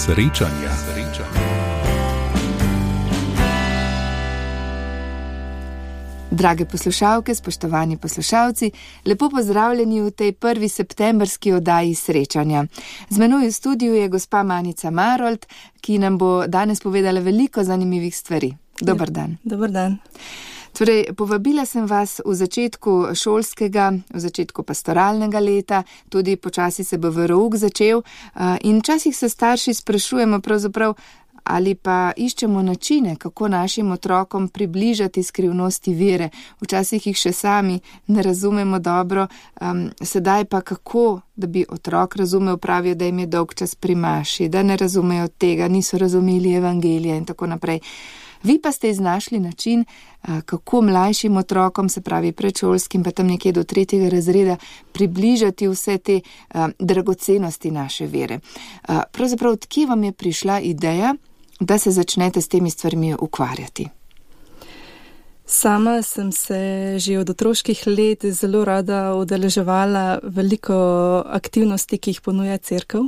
Srečanja. Drage poslušalke, spoštovani poslušalci, lepo pozdravljeni v tej prvi septembrski oddaji Srečanja. Z menoj v studiu je gospa Manica Marolt, ki nam bo danes povedala veliko zanimivih stvari. Dober dan. Dober dan. Torej, povabila sem vas v začetku šolskega, v začetku pastoralnega leta, tudi počasi se bo verouk začel in včasih se starši sprašujemo pravzaprav, ali pa iščemo načine, kako našim otrokom približati skrivnosti vere. Včasih jih še sami ne razumemo dobro, sedaj pa kako, da bi otrok razumel, pravijo, da jim je dolg čas pri maši, da ne razumejo tega, niso razumeli evangelija in tako naprej. Vi pa ste iznašli način, kako mlajšim otrokom, se pravi predšolskim, pa tam nekje do 3. razreda, približati vse te dragocenosti naše vere. Pravzaprav, odkje vam je prišla ideja, da se začnete s temi stvarmi ukvarjati? Sama sem se že od otroških let zelo rada udeleževala veliko aktivnosti, ki jih ponuja cerkev.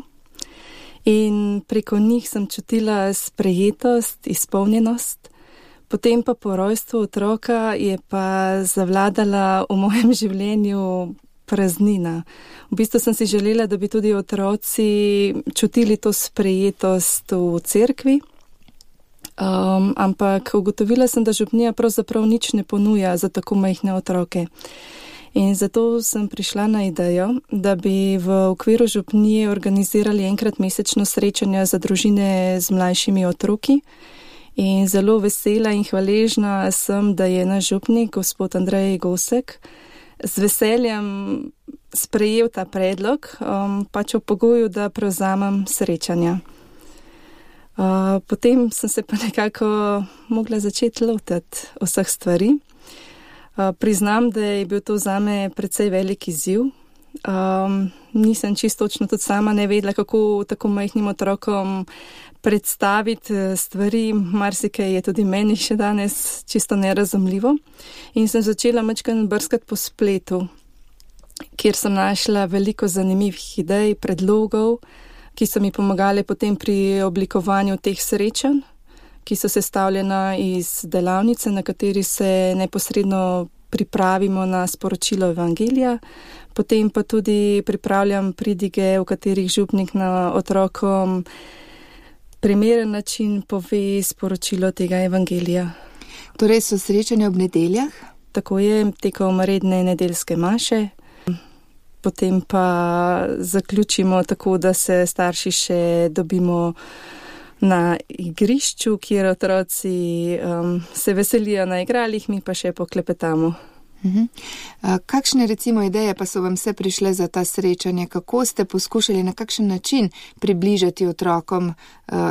In preko njih sem čutila sprejetost, izpolnjenost. Potem pa po rojstvu otroka je pa zavladala v mojem življenju praznina. V bistvu sem si želela, da bi tudi otroci čutili to sprejetost v cerkvi. Ampak ugotovila sem, da župnija pravzaprav nič ne ponuja za tako majhne otroke. In zato sem prišla na idejo, da bi v okviru župnije organizirali enkrat mesečno srečanja za družine z mlajšimi otroki. In zelo vesela in hvaležna sem, da je naš župnik, gospod Andrej Gosek, z veseljem sprejel ta predlog, pač v pogoju, da prevzamem srečanja. Potem sem se pa nekako mogla začeti lotiti vseh stvari. Priznam, da je bil to zame precej velik izziv. Nisem čisto točno tudi sama ne vedela, kako tako majhnim otrokom predstaviti stvari. Marsikaj je tudi meni še danes čisto nerazumljivo. In sem začela majčkeno brskati po spletu, kjer sem našla veliko zanimivih idej, predlogov, ki so mi pomagali potem pri oblikovanju teh srečanj, ki so sestavljena iz delavnice, na kateri se neposredno pripravimo na sporočilo evangelija. Potem pa tudi pripravljam pridige, v katerih župnik na otrokom primeren način pove sporočilo tega evangelija. Torej so srečanja ob nedeljah? Tako je, tekom redne nedeljske maše. Potem pa zaključimo tako, da se starši še dobimo na igrišču, kjer otroci se veselijo na igralih, mi pa še poklepetamo. Kakšne recimo ideje pa so vam vse prišle za ta srečanja? Kako ste poskušali, na kakšen način približati otrokom,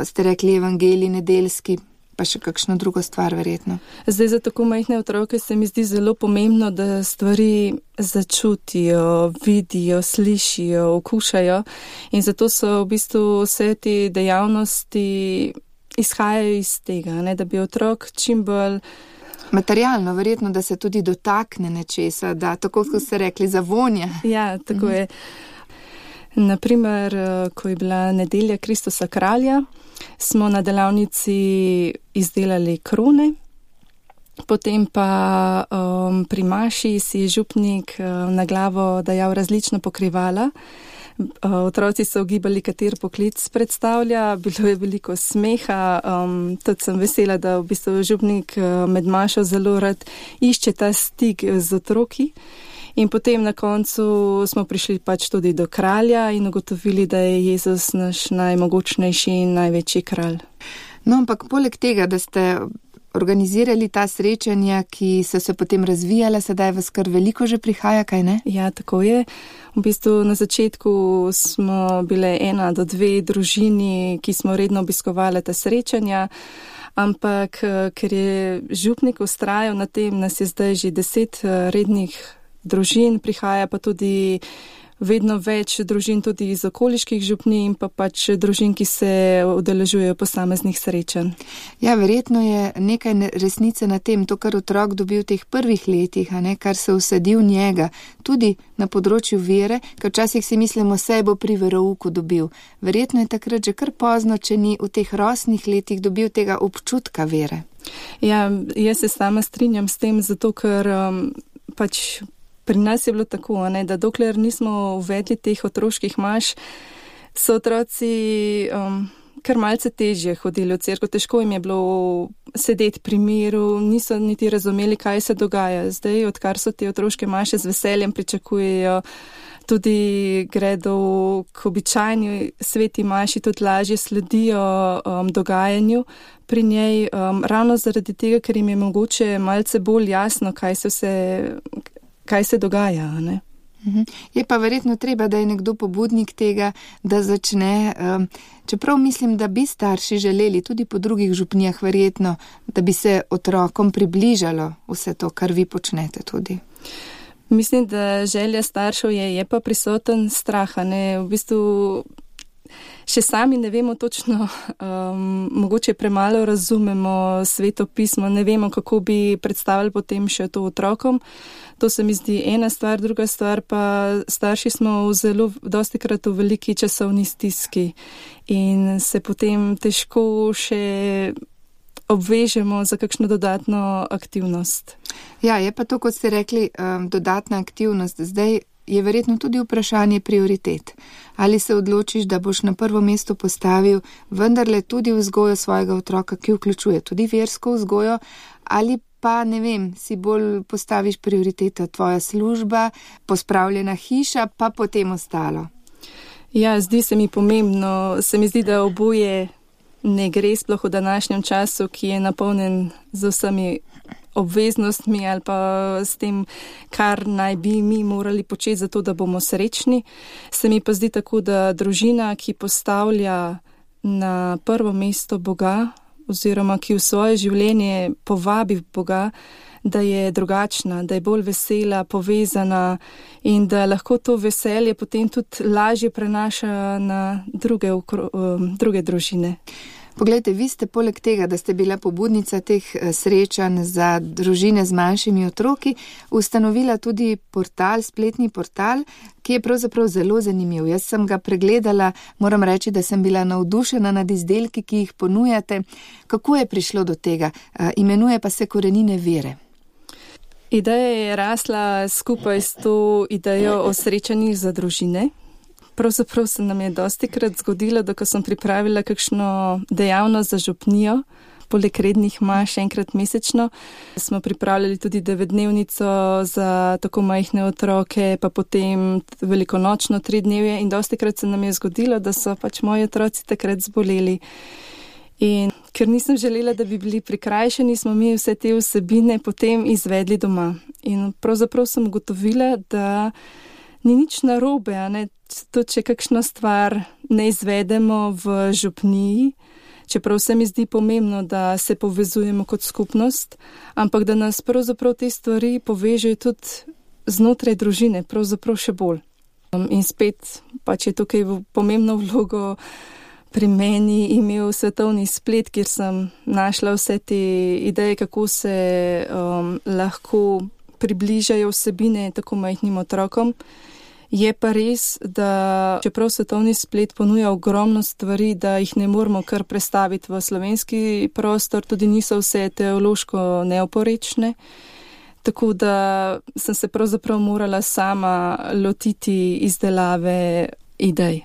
ste rekli evangelij nedeljski, pa še kakšno drugo stvar verjetno? Zdaj za tako majhne otroke se mi zdi zelo pomembno, da stvari začutijo, vidijo, slišijo, okušajo in zato so v bistvu vse te dejavnosti izhajajo iz tega, ne, da bi otrok čim bolj materialno, verjetno, da se tudi dotakne nečesa, da tako, kot ste rekli, zavonja. Ja, tako je. Naprimer, ko je bila nedelja Kristusa kralja, smo na delavnici izdelali krone, potem pa pri maši si je župnik na glavo dajal različna pokrivala. Otroci so ugibali, kater poklic predstavlja, bilo je veliko smeha, tudi sem vesela, da v bistvu župnik med mašo zelo rad išče ta stik z otroki. In potem na koncu smo prišli pač tudi do kralja in ugotovili, da je Jezus naš najmogočnejši in največji kralj. No, ampak poleg tega, da ste organizirali ta srečanja, ki so se potem razvijala, sedaj vas kar veliko že prihaja, kaj ne? Ja, tako je. V bistvu na začetku smo bile 1 do 2 družini, ki smo redno obiskovali ta srečanja, ampak ker je župnik vztrajal na tem, nas je zdaj že 10 rednih družin, prihaja pa tudi vedno več družin tudi iz okoliških župnij in pa pač družin, ki se udeležujejo posameznih srečanj. Ja, verjetno je nekaj resnice na tem, to, kar otrok dobi v teh prvih letih, kar se vsadi v njega, tudi na področju vere, ker včasih si mislimo, saj bo pri verouku dobil. Verjetno je takrat že kar pozno, če ni v teh rosnih letih dobil tega občutka vere. Ja, jaz se sama strinjam s tem, zato ker pač pri nas je bilo tako, da dokler nismo uvedli teh otroških maš, so otroci kar malce težje hodili v cerkev, težko jim je bilo sedeti pri miru, niso niti razumeli, kaj se dogaja. Zdaj, odkar so te otroške maše z veseljem pričakujejo, tudi gredo k običajni sveti maši, tudi lažje sledijo dogajanju pri njej, ravno zaradi tega, ker jim je mogoče malce bolj jasno, kaj se dogaja, ne? Je pa verjetno treba, da je nekdo pobudnik tega, da začne, čeprav mislim, da bi starši želeli tudi po drugih župnijah verjetno, da bi se otrokom približalo vse to, kar vi počnete tudi. Mislim, da želja staršev je pa prisoten strah, ne, v bistvu še sami ne vemo točno, mogoče premalo razumemo Sveto pismo, ne vemo, kako bi predstavili potem še to otrokom. To se mi zdi ena stvar, druga stvar pa starši smo dostikrat v veliki časovni stiski in se potem težko še obvežemo za kakšno dodatno aktivnost. Ja, je pa to, kot ste rekli, dodatna aktivnost. Zdaj je verjetno tudi vprašanje prioritet. Ali se odločiš, da boš na prvo mesto postavil vendarle tudi vzgojo svojega otroka, ki vključuje tudi versko vzgojo, ali pa, ne vem, si bolj postaviš prioriteta tvoja služba, pospravljena hiša, pa potem ostalo. Ja, zdi se mi pomembno, se mi zdi, da oboje ne gre, sploh v današnjem času, ki je napolnjen z vsemi obveznostmi ali pa s tem, kar naj bi mi morali početi za to, da bomo srečni. Se mi pa zdi tako, da družina, ki postavlja na prvo mesto Boga oziroma ki v svoje življenje povabi Boga, da je drugačna, da je bolj vesela, povezana in da lahko to veselje potem tudi lažje prenaša na druge družine. Poglejte, vi ste poleg tega, da ste bila pobudnica teh srečanj za družine z manjšimi otroki, ustanovila tudi portal, spletni portal, ki je pravzaprav zelo zanimiv. Jaz sem ga pregledala, moram reči, da sem bila navdušena nad izdelki, ki jih ponujate. Kako je prišlo do tega? Imenuje pa se Korenine vere. Ideja je rasla skupaj s to idejo o srečanjih za družine. Pravzaprav se nam je dostikrat zgodilo, da ko sem pripravila kakšno dejavnost za župnijo, poleg rednih maš enkrat mesečno, smo pripravljali tudi 9-dnevnico za tako majhne otroke, pa potem velikonočno 3-dnevje in dostikrat se nam je zgodilo, da so pač moji otroci takrat zboleli. In ker nisem želela, da bi bili prikrajšani, smo mi vse te vsebine potem izvedli doma. In pravzaprav sem ugotovila, da ni nič narobe, to, če kakšno stvar ne izvedemo v župniji, čeprav se mi zdi pomembno, da se povezujemo kot skupnost, ampak da nas pravzaprav te stvari povežejo tudi znotraj družine, pravzaprav še bolj. In spet pač je tukaj pomembno vlogo pri meni imel svetovni splet, kjer sem našla vse te ideje, kako se lahko približajo vsebine tako majhnim otrokom. Je pa res, da čeprav svetovni splet ponuja ogromno stvari, da jih ne moramo kar prestaviti v slovenski prostor, tudi niso vse teološko neoporečne. Tako da sem se pravzaprav morala sama lotiti izdelave idej.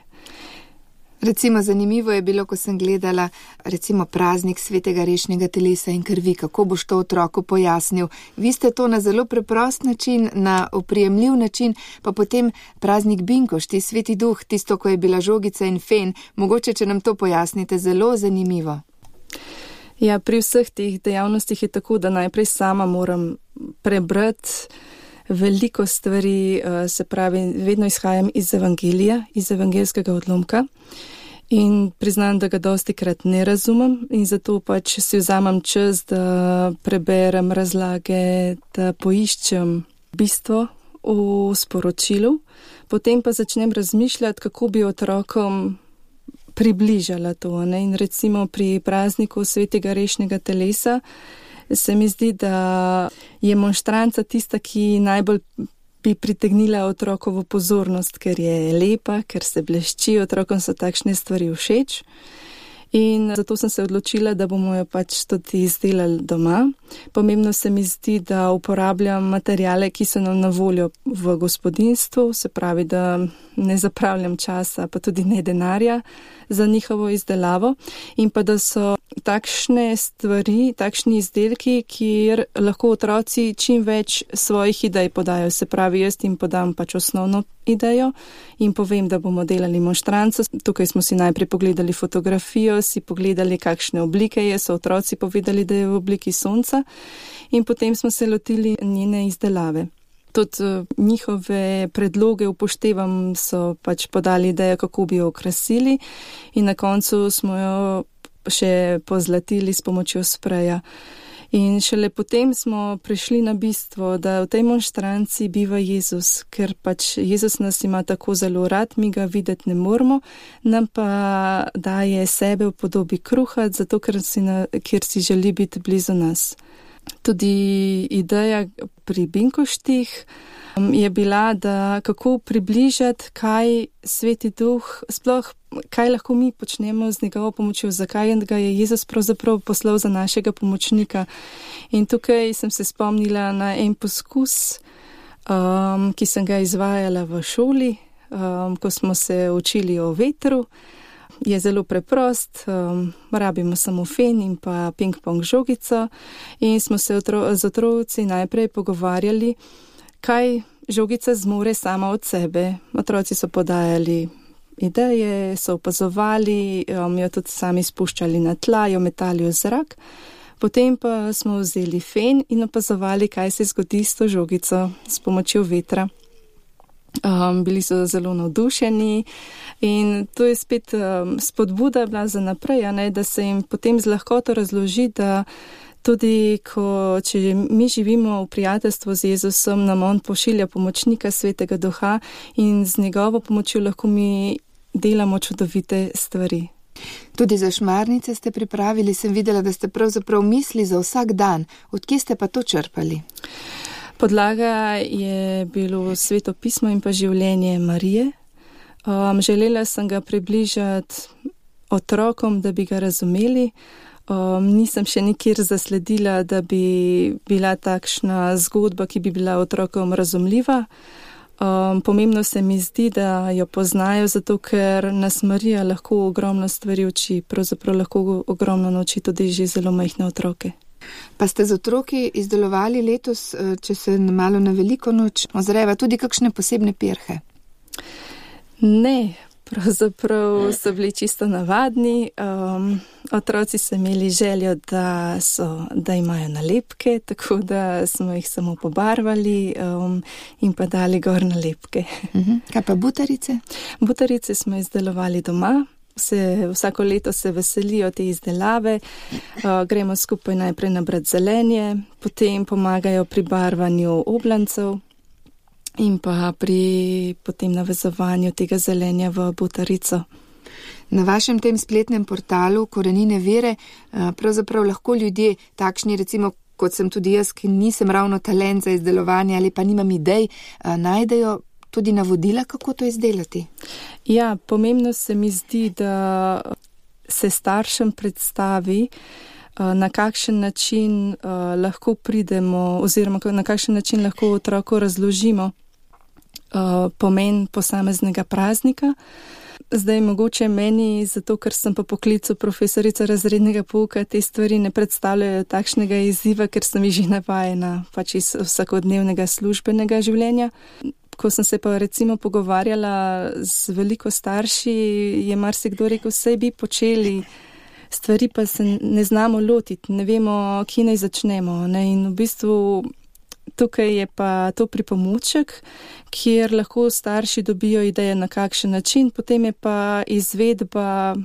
Recimo zanimivo je bilo, ko sem gledala recimo praznik svetega rešnega telesa in krvi, kako boš to otroku pojasnil. Vi ste to na zelo preprost način, na oprijemljiv način, pa potem praznik Binkošti, sveti duh, tisto, ko je bila žogica in fen. Mogoče, če nam to pojasnite, zelo zanimivo. Ja, pri vseh teh dejavnostih je tako, da najprej sama moram prebrati veliko stvari, se pravi, vedno izhajam iz evangelija, iz evangeljskega odlomka in priznam, da ga dostikrat ne razumem in zato pač si vzamem čas, da preberem razlage, da poiščem bistvo v sporočilu. Potem pa začnem razmišljati, kako bi otrokom približala to. Ne? In recimo pri prazniku svetega rešnega telesa se mi zdi, da je monštranca tista, ki najbolj bi pritegnila otrokovo pozornost, ker je lepa, ker se blešči, otrokom so takšne stvari všeč. In zato sem se odločila, da bomo jo pač tudi izdelali doma. Pomembno se mi zdi, da uporabljam materijale, ki so nam na voljo v gospodinjstvu, se pravi, da ne zapravljam časa, pa tudi ne denarja za njihovo izdelavo. In pa da so takšne stvari, takšni izdelki, kjer lahko otroci čim več svojih idej podajo. Se pravi, jaz jim podam pač osnovno idejo in povem, da bomo delali monštranco. Tukaj smo si najprej pogledali fotografijo, si pogledali, kakšne oblike je, so otroci povedali, da je v obliki sonca in potem smo se lotili njene izdelave. Tudi njihove predloge upoštevam, so pač podali idejo, kako bi jo okrasili in na koncu smo jo še pozlatili s pomočjo spreja. In šele potem smo prišli na bistvo, da v tej monštranci biva Jezus, ker pač Jezus nas ima tako zelo rad, mi ga videti ne moremo, nam pa daje sebe v podobi kruha, zato ker si želi biti blizu nas. Tudi ideja pri binkoštih je bila, da kako približati, kaj Sveti Duh, sploh kaj lahko mi počnemo z njegovo pomočjo, zakaj ga je Jezus pravzaprav poslal za našega pomočnika. In tukaj sem se spomnila na en poskus, ki sem ga izvajala v šoli, ko smo se učili o vetru. Je zelo preprost, rabimo samo fen in pa ping-pong žogico in smo se z otroci najprej pogovarjali, kaj žogica zmore sama od sebe. Otroci so podajali ideje, so opazovali, jo tudi sami spuščali na tla, jo metali v zrak. Potem pa smo vzeli fen in opazovali, kaj se zgodi s to žogico s pomočjo vetra. Bili so zelo navdušeni in to je spet spodbuda bila za naprej, da se jim potem z lahkoto razloži, da tudi če mi živimo v prijateljstvu z Jezusom, nam on pošilja pomočnika Svetega Duha in z njegovo pomočjo lahko mi delamo čudovite stvari. Tudi za šmarnice ste pripravili, sem videla, da ste pravzaprav misli za vsak dan. Odkje ste pa to črpali? Podlaga je bilo Sveto pismo in pa življenje Marije. Želela sem ga približati otrokom, da bi ga razumeli. Nisem še nikjer zasledila, da bi bila takšna zgodba, ki bi bila otrokom razumljiva. Pomembno se mi zdi, da jo poznajo, zato ker nas Marija lahko ogromno stvari uči, pravzaprav lahko ogromno nauči tudi že zelo majhne otroke. Pa ste z otroki izdelovali letos, če se malo na veliko noč ozreva, tudi kakšne posebne pirhe? Ne, pravzaprav so bili čisto navadni. Otroci so imeli željo, da imajo nalepke, tako da smo jih samo pobarvali in pa dali gor nalepke. Kaj pa butarice? Butarice smo izdelovali doma. Vsako leto se veselijo te izdelave, gremo skupaj najprej nabrati zelenje, potem pomagajo pri barvanju oblancev in pa pri potem navezovanju tega zelenja v butarico. Na vašem tem spletnem portalu Korenine vere pravzaprav lahko ljudje takšni, recimo kot sem tudi jaz, ki nisem ravno talent za izdelovanje ali pa nimam idej, najdejo tudi navodila, kako to izdelati? Ja, pomembno se mi zdi, da se staršem predstavi, na kakšen način lahko pridemo oziroma na kakšen način lahko otroku razložimo pomen posameznega praznika. Zdaj mogoče meni, zato ker sem po poklicu profesorica razrednega pouka, te stvari ne predstavljajo takšnega izziva, ker sem jih že navajena pač iz vsakodnevnega službenega življenja. Ko sem se pa recimo pogovarjala z veliko starši, je marsikdo rekel, saj bi počeli stvari, pa se ne znamo lotiti, ne vemo, kje naj začnemo. In v bistvu tukaj je pa to pripomoček, kjer lahko starši dobijo ideje, na kakšen način, potem je pa izvedba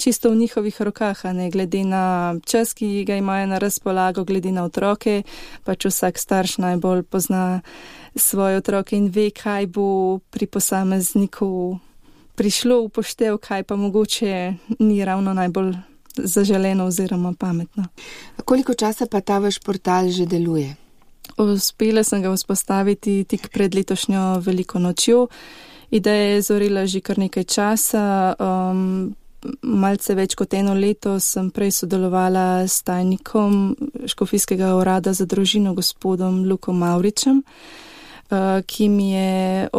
čisto v njihovih rokah, a ne glede na čas, ki ga imajo na razpolago, glede na otroke, pač vsak starš najbolj pozna svoje otroke in ve, kaj bo pri posamezniku prišlo v poštev, kaj pa mogoče ni ravno najbolj zaželeno oziroma pametno. Koliko časa pa ta vaš portal že deluje? Uspela sem ga vzpostaviti tik pred letošnjo veliko nočjo. Ideja je zorila že kar nekaj časa. Malce več kot 1 leto sem prej sodelovala s tajnikom Škofijskega urada za družino, gospodom Lukom Mavričem, ki mi je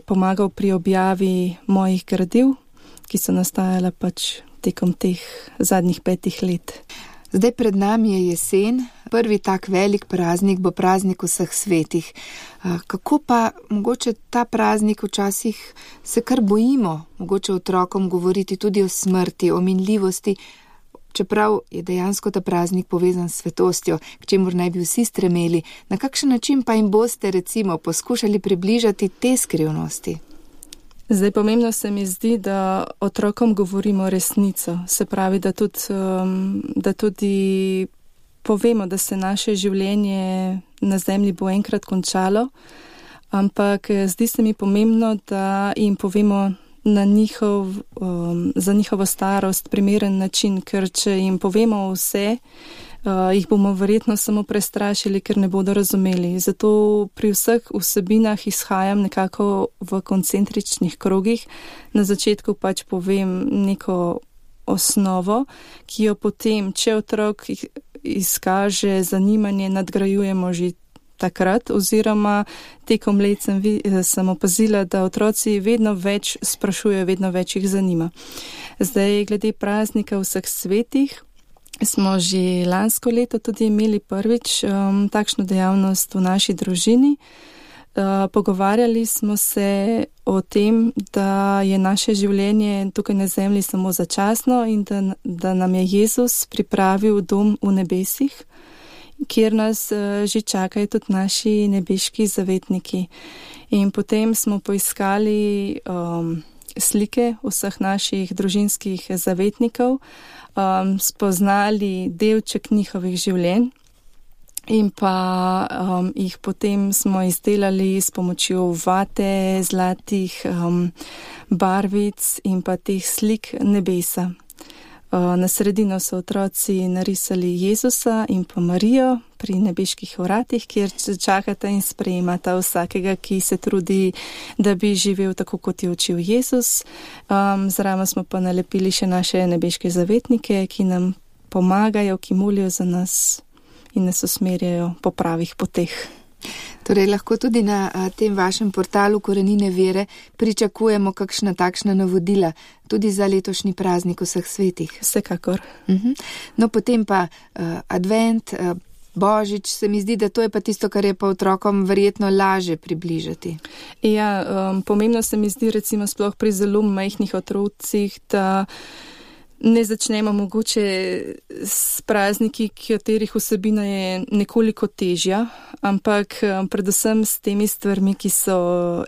pomagal pri objavi mojih gradiv, ki so nastajala pač tekom teh zadnjih 5 let. Zdaj pred nami je jesen, prvi tak velik praznik bo praznik vseh svetih. Kako pa mogoče ta praznik včasih se kar bojimo, mogoče otrokom govoriti tudi o smrti, o minljivosti, čeprav je dejansko ta praznik povezan s svetostjo, k čemur naj bi vsi stremeli. Na kakšen način pa jim boste recimo poskušali približati te skrivnosti? Zdaj pomembno se mi zdi, da otrokom govorimo resnico. Se pravi, da tudi povemo, da se naše življenje na zemlji bo enkrat končalo, ampak zdi se mi pomembno, da jim povemo za njihovo starost primeren način, ker če jim povemo vse, jih bomo verjetno samo prestrašili, ker ne bodo razumeli. Zato pri vseh vsebinah izhajam nekako v koncentričnih krogih. Na začetku pač povem neko osnovo, ki jo potem, če otrok izkaže zanimanje, nadgrajujemo že takrat, oziroma tekom let sem opazila, da otroci vedno več sprašujejo, vedno več jih zanima. Zdaj, glede praznika vseh svetih, smo že lansko leto tudi imeli prvič takšno dejavnost v naši družini. Pogovarjali smo se o tem, da je naše življenje tukaj na zemlji samo začasno in da nam je Jezus pripravil dom v nebesih, kjer nas že čakajo tudi naši nebeški zavetniki. In potem smo poiskali slike vseh naših družinskih zavetnikov, spoznali delček njihovih življenj in pa jih potem smo izdelali s pomočjo vate, zlatih barvic in pa teh slik nebesa. Na sredino so otroci narisali Jezusa in pa Marijo pri nebeških vratih, kjer čakata in sprejemata vsakega, ki se trudi, da bi živel tako, kot je učil Jezus. Zraven smo pa nalepili še naše nebeške zavetnike, ki nam pomagajo, ki molijo za nas in nas usmerjajo po pravih poteh. Torej, lahko tudi na tem vašem portalu Korenine vere pričakujemo kakšna takšna navodila tudi za letošnji praznik vseh svetih. Vsekakor. No, potem pa advent, Božič, se mi zdi, da to je pa tisto, kar je pa otrokom verjetno laže približati. Ja, pomembno se mi zdi recimo sploh pri zelo majhnih otrocih, da ne začnemo mogoče s prazniki, katerih vsebina je nekoliko težja, ampak predvsem s temi stvarmi, ki so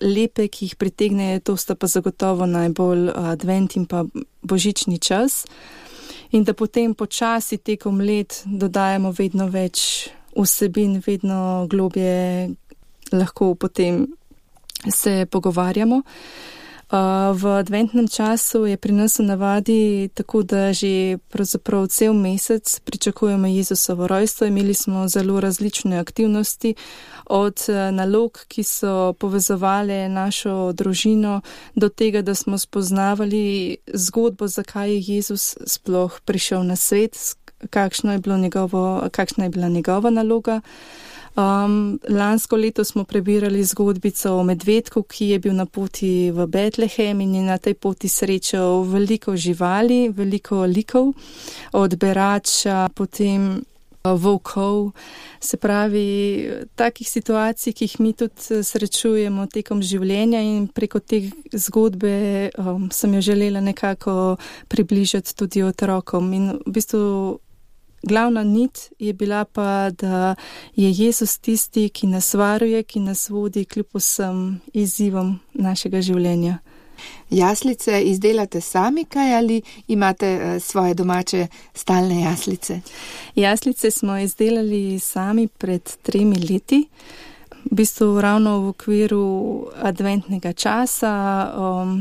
lepe, ki jih pritegnejo, to sta pa zagotovo najbolj advent in pa božični čas. In da potem počasi tekom let dodajamo vedno več vsebin, vedno globje lahko potem se pogovarjamo. V adventnem času je pri nas v navadi tako, da že pravzaprav cel mesec pričakujemo Jezusovo rojstvo. Imeli smo zelo različne aktivnosti, od nalog, ki so povezovali našo družino, do tega, da smo spoznavali zgodbo, zakaj je Jezus sploh prišel na svet, kakšna je bila njegova naloga. Lansko leto smo prebirali zgodbico o medvedku, ki je bil na poti v Betlehem in je na tej poti srečal veliko živali, veliko likov, od berača, potem volkov. Se pravi, takih situacij, ki jih mi tudi srečujemo tekom življenja, in preko te zgodbe sem jo želela nekako približati tudi otrokom. In v bistvu glavna nit je bila pa, da je Jezus tisti, ki nas varuje, ki nas vodi kljub vsem izzivom našega življenja. Jaslice izdelate sami kaj ali imate svoje domače stalne jaslice? Jaslice smo izdelali sami pred 3 leti. V bistvu ravno v okviru adventnega časa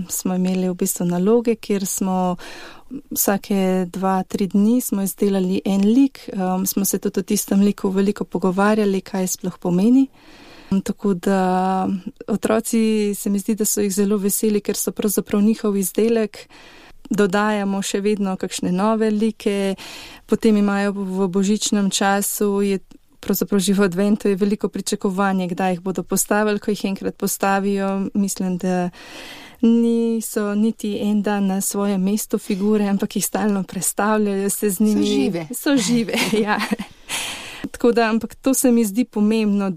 smo imeli v bistvu naloge, kjer smo vsake 2-3 dni smo izdelali en lik. Smo se tudi o tistem liku veliko pogovarjali, kaj sploh pomeni. Tako da otroci se mi zdi, da so jih zelo veseli, ker so pravzaprav njihov izdelek. Dodajamo še vedno kakšne nove like, potem imajo v božičnem času, pravzaprav že v adventu je veliko pričakovanje, kdaj jih bodo postavili, ko jih enkrat postavijo. Mislim, da niso niti en dan na svojem mestu figure, ampak jih stalno prestavljajo, se z njimi. So žive, ja. Tako da, ampak to se mi zdi pomembno,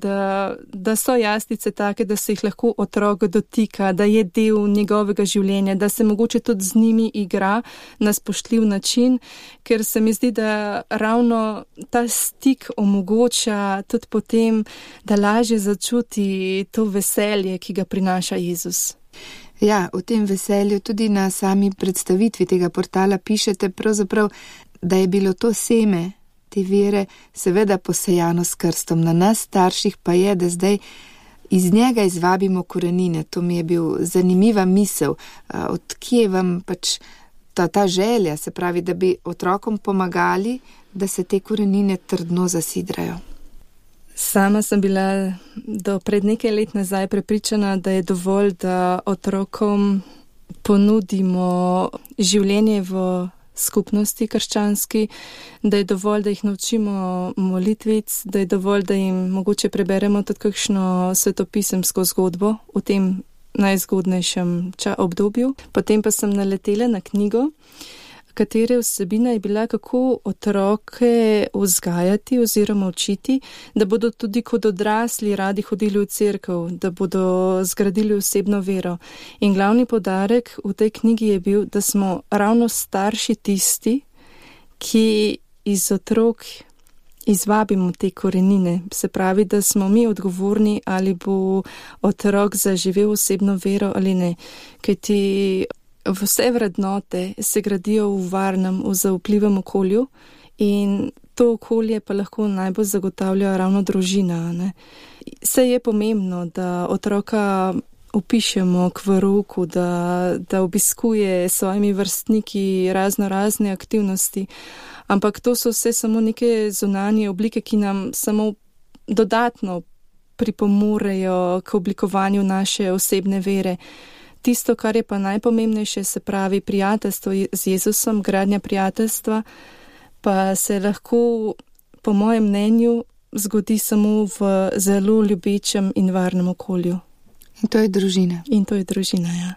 da so jaslice take, da se jih lahko otrok dotika, da je del njegovega življenja, da se mogoče tudi z njimi igra na spoštljiv način, ker se mi zdi, da ravno ta stik omogoča tudi potem, da lažje začuti to veselje, ki ga prinaša Jezus. Ja, o tem veselju tudi na sami predstavitvi tega portala pišete pravzaprav, da je bilo to seme te vere seveda posejano s krstom. Na nas starših pa je, da zdaj iz njega izvabimo korenine. To mi je bil zanimiva misel. Od kje vam pač ta želja, se pravi, da bi otrokom pomagali, da se te korenine trdno zasidrajo? Sama sem bila do pred nekaj let nazaj prepričana, da je dovolj, da otrokom ponudimo življenje v skupnosti krščanski, da je dovolj, da jih naučimo molitvic, da je dovolj, da jim mogoče preberemo tudi kakšno svetopisemsko zgodbo v tem najzgodnejšem obdobju. Potem pa sem naletela na knjigo, katere vsebina je bila, kako otroke vzgajati oziroma učiti, da bodo tudi kot odrasli radi hodili v cerkev, da bodo zgradili osebno vero. In glavni poudarek v tej knjigi je bil, da smo ravno starši tisti, ki iz otrok izvabimo te korenine. Se pravi, da smo mi odgovorni, ali bo otrok zaživel osebno vero ali ne. Kajti vse vrednote se gradijo v varnem, v zaupljivem okolju in to okolje pa lahko najbolj zagotavlja ravno družina. Ne? Saj je pomembno, da otroka upišemo k verouku, da obiskuje s svojimi vrstniki razne aktivnosti, ampak to so vse samo neke zunanje oblike, ki nam samo dodatno pripomorejo k oblikovanju naše osebne vere. Tisto, kar je pa najpomembnejše, se pravi prijateljstvo z Jezusom, gradnja prijateljstva, pa se lahko, po mojem mnenju, zgodi samo v zelo ljubečem in varnem okolju. In to je družina. In to je družina, ja.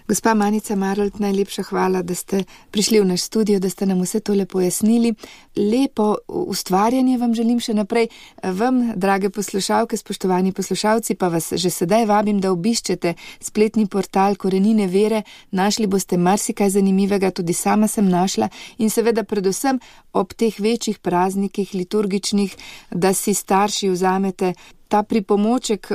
Gospa Manica Marolt, najlepša hvala, da ste prišli v naš studio, da ste nam vse tole pojasnili. Lepo ustvarjanje vam želim še naprej. Vam, drage poslušalke, spoštovani poslušalci, pa vas že sedaj vabim, da obiščete spletni portal Korenine vere. Našli boste marsikaj zanimivega, tudi sama sem našla. In seveda predvsem ob teh večjih praznikih liturgičnih, da si starši vzamete ta pripomoček,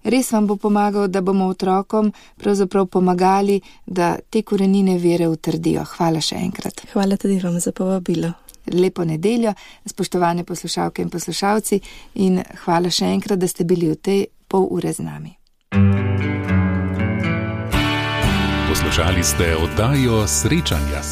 res vam bo pomagal, da bomo otrokom pravzaprav pomagali, da te korenine vere utrdijo. Hvala še enkrat. Hvala tudi vam za povabilo. Lepo nedeljo, spoštovane poslušalke in poslušalci, in hvala še enkrat, da ste bili v tej pol ure z nami. Poslušali ste oddajo Srečanja.